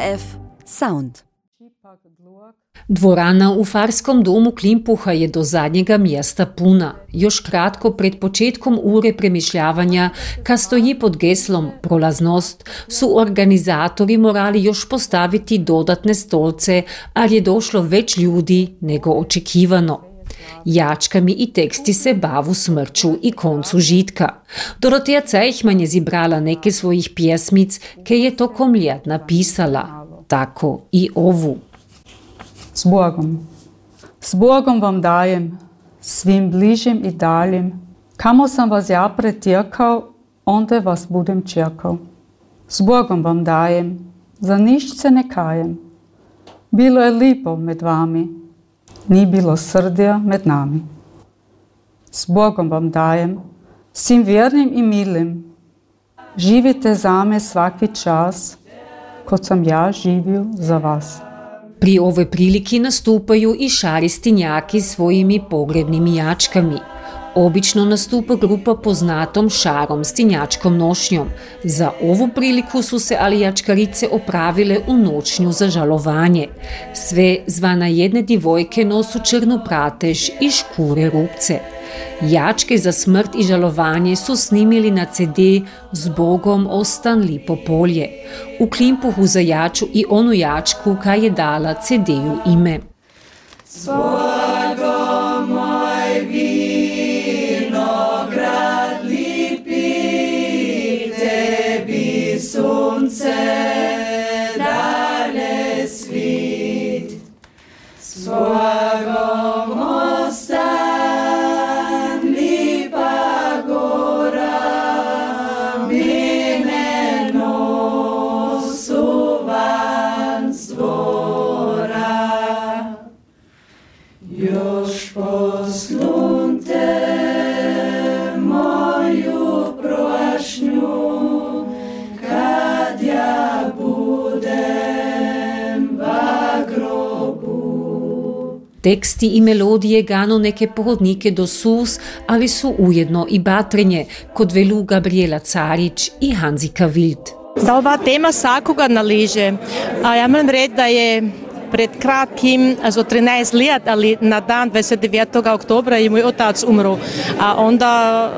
RF Sound. Dvorana u Farskom domu Klimpuha je do zadnjega mjesta puna. Još kratko pred početkom ure premišljavanja, kad stoji pod geslom Prolaznost, su organizatori morali još postaviti dodatne stolce, ali je došlo već ljudi nego očekivano. Jačkami i teksti se bavu smrću i koncu žitka. Doroteja Cejhman je zibrala neke svojih pjesmic, ke je tokom ljet napisala. Tako i ovu. S Bogom. S Bogom vam dajem, svim bližim i daljim. Kamo sam vas ja pretjekao, onda vas budem čekao. S Bogom vam dajem, za ništa se ne kajem. Bilo je lipo med vami, ni bilo srdja med nami. S Bogom vam dajem, svim vjernim i milim. Živite za me svaki čas, kod sam ja živio za vas. Pri ovoj priliki nastupaju i šaristinjaki svojimi pogrebnim jačkami. Obično nastupa grupa poznatom šarom stinjačkom nošnjom. Za ovu priliku su se ali jačkarice opravile u noćnju za žalovanje. Sve zvana jedne divojke nosu črnu pratež i škure rupce. Jačke za smrt i žalovanje su snimili na CD S Bogom ostan lipo polje. U Klimpuhu za jaču i onu jačku kaj je dala CD-ju ime. S Bogom moj vinograd lipi, tebi sunce dalje svit. S Bogom ostan lipa gora, mine nosu van s dvora. Još poslunte moju prošnju, kad ja budem va grobu. Teksti i melodije gano neke pohodnike do sus, ali su ujedno i batrenje, kod velu Gabriela Carić i Hanzika Wild. Da ova tema svakoga naliže, a ja moram reći da je pred kratkim, za 13 let, ali na dan 29. oktobra je moj otac umro. A onda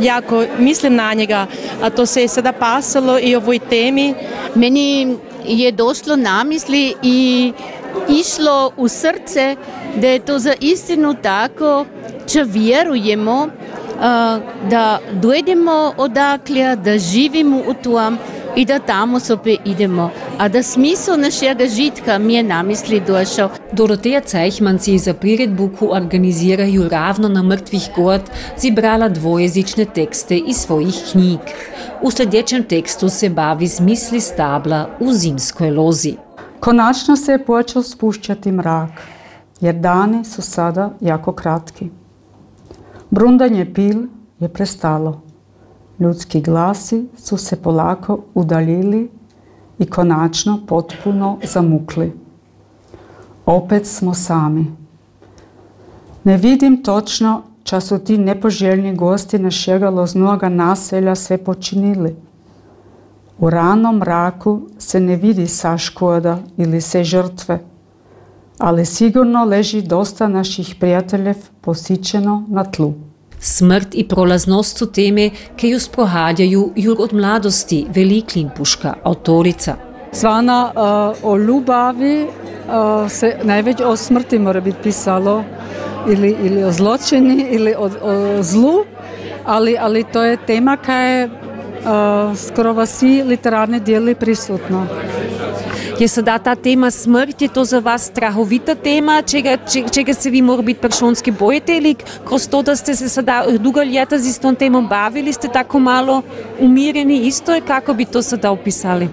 jako mislim na njega, a to se je sada pasalo i ovoj temi. Meni je došlo na misli i išlo u srce da je to za istinu tako, če vjerujemo da dojdemo odakle, da živimo u tom i da tamo sope idemo. A da smisel našega žitka mi je na misli došao. Doroteja Cejhman si za priredbu, ko organiziraju ravno na mrtvih god, zibrala dvojezične tekste iz svojih knjig. U sljedećem tekstu se bavi s misli stabla u zimskoj lozi. Konačno se je počeo spušćati mrak, jer dani su sada jako kratki. Brundanje pil je prestalo. Ljudski glasi su se polako udaljili i konačno potpuno zamukli. Opet smo sami. Ne vidim točno ča su ti nepoželjni gosti našega loznoga naselja sve počinili. U ranom mraku se ne vidi sa škoda ili se žrtve, ali sigurno leži dosta naših prijateljev posičeno na tlu. Smrt i prolaznost su teme, ki ju sprohadjaju jur od mladosti, veli Klimpuška avtorica. Zvana o ljubavi se največ o smrti mora biti pisalo, ili o zločini, ili o zlu, ali to je tema kaj je skoro v vsi literarni deli prisutna. Je sada ta tema smrt, je to za vas strahovita tema, čega se vi mora biti peršonski bojite ili kroz to, da ste se sada dugo ljeta z istom temom bavili, ste tako malo umirjeni isto, kako bi to sada opisali?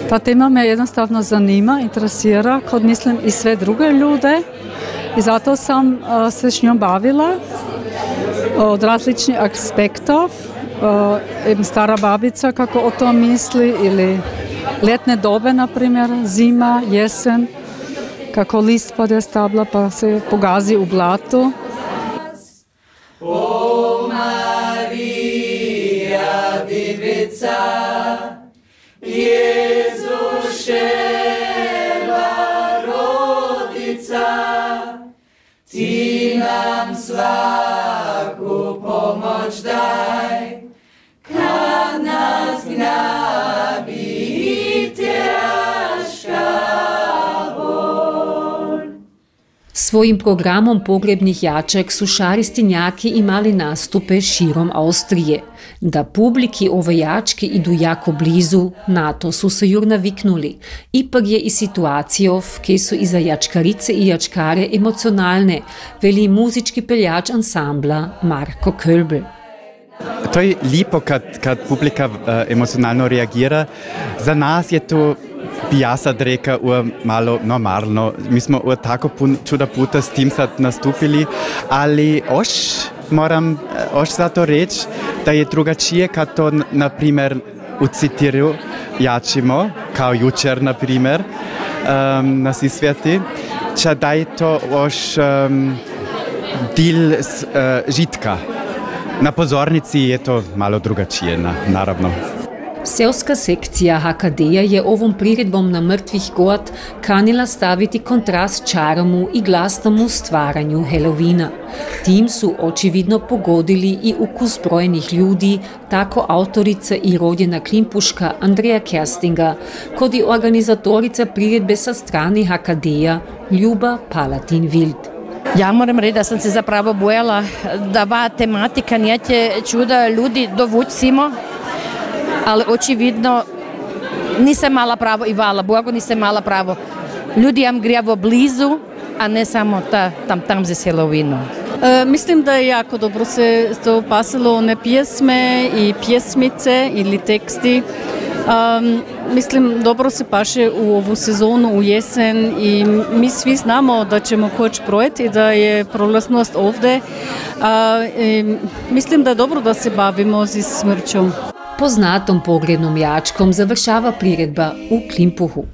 Ta tema me jednostavno zanima, interesira, kot mislim i sve druge ljude i zato sam se s njom bavila od različnih aspektov. Stara babica kako o tom misli ili ljetne dobe, na primjer, zima, jesen, kako list pade stabla pa se pogazi u blatu. O Marija, divica, Jezuše, svaku pomoć daj, kad nas gnabi i teška bol. Svojim programom pogrebnih jačak su šaristinjaki imali nastupe širom Austrije. Da publiki ove jačke idu jako blizu, na to su se jur naviknuli. Ipak je i situacijo, ki su i za jačkarice i jačkare emocionalne, veli muzički peljač ansambla Marko Kölbl. To je lipo kad publika emocionalno reagira. Za nas je to, bi ja sad reka, malo normalno. Mi smo tako čuda puta s tim sad nastupili, ali moram zato reći da je drugačije kad to, na primjer, u Citiru jačimo, kao jučer, na primjer, na Sisvjeti, da je to dil žitka. Na pozornici je to malo drugačije, naravno. Seoska sekcija HKD-a je ovom priredbom na mrtvih god kanila staviti kontrast čaromu i glasnому stvaranju Halloweena. Tim su očividno pogodili i ukus brojnih ljudi, tako autorica i rodjena klimpuška Andreja Kerstinga, kod i organizatorica priredbe sa strani HKD-a Ljuba Palatin-Wild. Ja moram reći da sam se zapravo bojala da ova tematika neće čuda ljudi dovući simo, ali očividno nisam mala pravo i hvala Bogu nisam mala pravo. Ljudi jam grijavo blizu, a ne samo tam za Halloweenom. Mislim da je jako dobro se to pasalo, one pjesme i pjesmice ili teksti. Mislim, dobro se paše u ovu sezonu, u jesen i mi svi znamo da ćemo koći projekt i da je prolaznost ovdje. Mislim da je dobro da se bavimo s smrćom. Poznatom pogrebnom jačkom završava priredba u Klimpuhu.